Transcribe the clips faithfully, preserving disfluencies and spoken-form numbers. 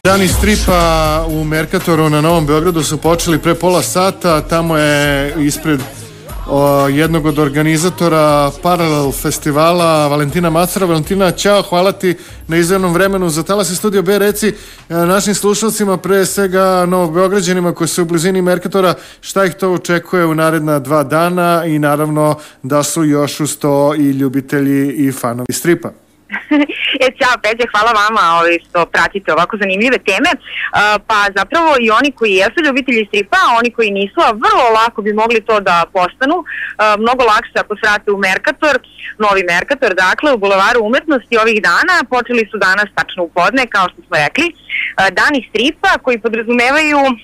Dani stripa u Merkatoru na Novom Beogradu su počeli pre pola sata. Tamo je ispred o, jednog od organizatora Paralel festivala Valentina Macera. Valentina, ćao, hvala ti na izdvojenom vremenu za Talas i Studio B. Reci e, našim slušalcima, pre svega Novobeograđanima koji su u blizini Merkatora, šta ih to očekuje u naredna dva dana i naravno da su još uz to i ljubitelji i fanovi stripa. E, ćao Peđe, hvala vama ovaj, što pratite ovako zanimljive teme. Uh, pa zapravo i oni koji jesu ljubitelji stripa, a oni koji nisu, a vrlo lako bi mogli to da postanu. Uh, mnogo lakše ako se vrate u Merkator, novi Merkator, dakle u Bulevaru umetnosti ovih dana. Počeli su danas tačno u podne, kao što smo rekli, uh, dani stripa koji podrazumevaju uh,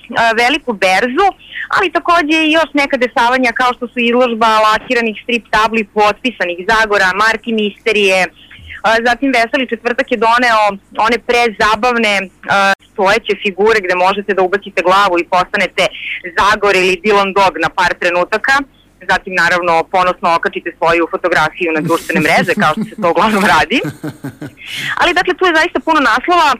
veliku berzu, ali takođe i još neka dešavanja kao što su izložba lakiranih strip tabli potpisanih Zagora, Marti Misterije. Zatim Veseli četvrtak je doneo one prezabavne uh, stojeće figure gde možete da ubacite glavu i postanete Zagor ili Dylan Dog na par trenutaka. Zatim naravno ponosno okačite svoju fotografiju na društvene mreže kao što se to uglavnom radi. Ali dakle tu je zaista puno naslova. Uh,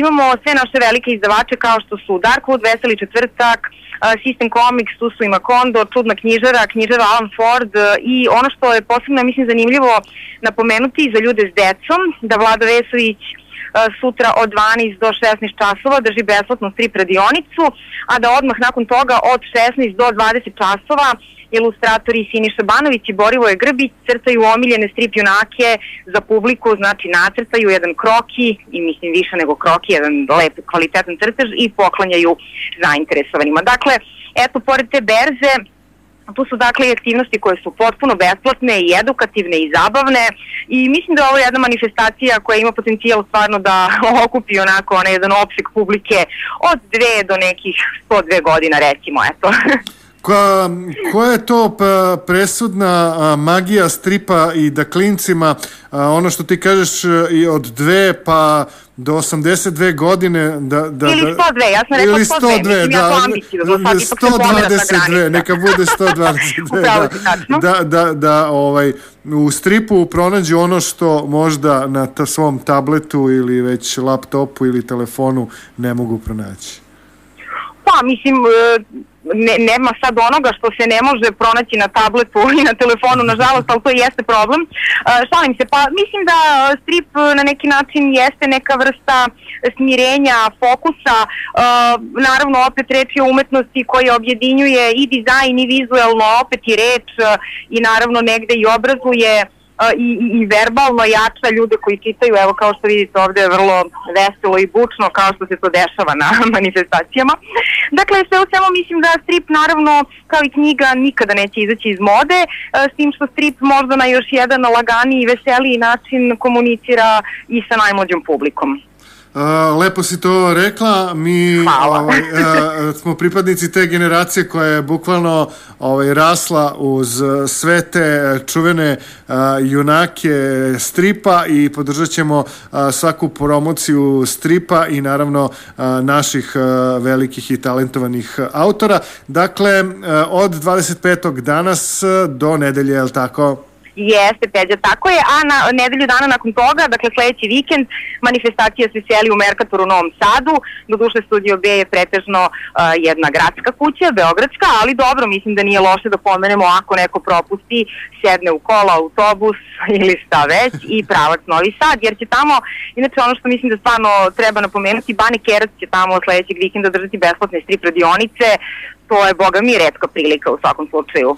imamo sve naše velike izdavače kao što su Darkwood, Veseli četvrtak, System Comics, tu su i Macondo, Čudna knjižara, knjižara Alan Ford i ono što je posebno, mislim, zanimljivo napomenuti za ljude s decom, da Vlada Vesović sutra od dvanaest do šesnaest časova drži besplatnu strip radionicu, a da odmah nakon toga od šesnaest do dvadeset časova ilustratori Siniša Banović i Borivoje Grbić crtaju omiljene strip junake za publiku, znači nacrtaju jedan kroki i mislim više nego kroki, jedan lep kvalitetan crtež i poklanjaju zainteresovanima. Dakle, eto, pored te berze, tu su dakle i aktivnosti koje su potpuno besplatne i edukativne i zabavne i mislim da ovo je jedna manifestacija koja ima potencijal stvarno da okupi onako onaj jedan opseg publike od dve do nekih sto dve godina recimo, eto. Koja, koja je to presudna a, magija stripa i da klincima, a, ono što ti kažeš i od dve pa do osamdeset dve godine da, da, ili sto dve, ja sam rekla sto dve, mislim da, ja to ambiciju, da sto dvadeset dve, neka bude sto dvadeset dve, da, da, da, da ovaj, u stripu pronađu ono što možda na ta svom tabletu ili već laptopu ili telefonu ne mogu pronaći. Pa, mislim, ne, nema sad onoga što se ne može pronaći na tabletu i na telefonu, nažalost, ali to jeste problem. Uh, šalim se, pa mislim da strip na neki način jeste neka vrsta smirenja, fokusa, uh, naravno opet reč je o umetnosti koja objedinjuje i dizajn i vizuelno, opet i reč uh, i naravno negde i obrazuje I, i, i verbalno jača ljude koji čitaju, evo kao što vidite ovde je vrlo veselo i bučno kao što se to dešava na manifestacijama. Dakle, sve u svemu mislim da strip naravno kao i knjiga nikada neće izaći iz mode, s tim što strip možda na još jedan laganiji i veseliji način komunicira i sa najmlađom publikom. Uh, lepo si to rekla, mi ovaj, uh, smo pripadnici te generacije koja je bukvalno ovaj, rasla uz sve te čuvene uh, junake stripa i podržat ćemo uh, svaku promociju stripa i naravno uh, naših uh, velikih i talentovanih autora. Dakle, uh, od dvadeset petog danas do nedelje, je li tako? Jeste, Peđa, tako je, a na nedelju dana nakon toga, dakle sledeći vikend, manifestacija se seli u Merkatoru u Novom Sadu, doduše Studio B je pretežno uh, jedna gradska kuća, beogradska, ali dobro, mislim da nije loše da pomenemo ako neko propusti, sedne u kola, autobus ili šta već i pravac Novi Sad, jer će tamo, inače ono što mislim da stvarno treba napomenuti, Bane Kerac će tamo sledećeg vikenda držati besplatne strip radionice, to je, boga mi, retka prilika u svakom slučaju.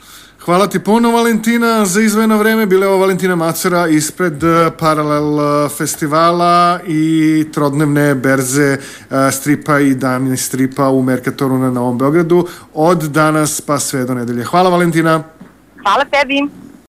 Hvala ti puno, Valentina, za izdvojeno vreme. Bila je ovo Valentina Macera ispred Paralel festivala i trodnevne berze stripa i dani stripa u Merkatoru na Novom Beogradu od danas pa sve do nedelje. Hvala, Valentina. Hvala tebi.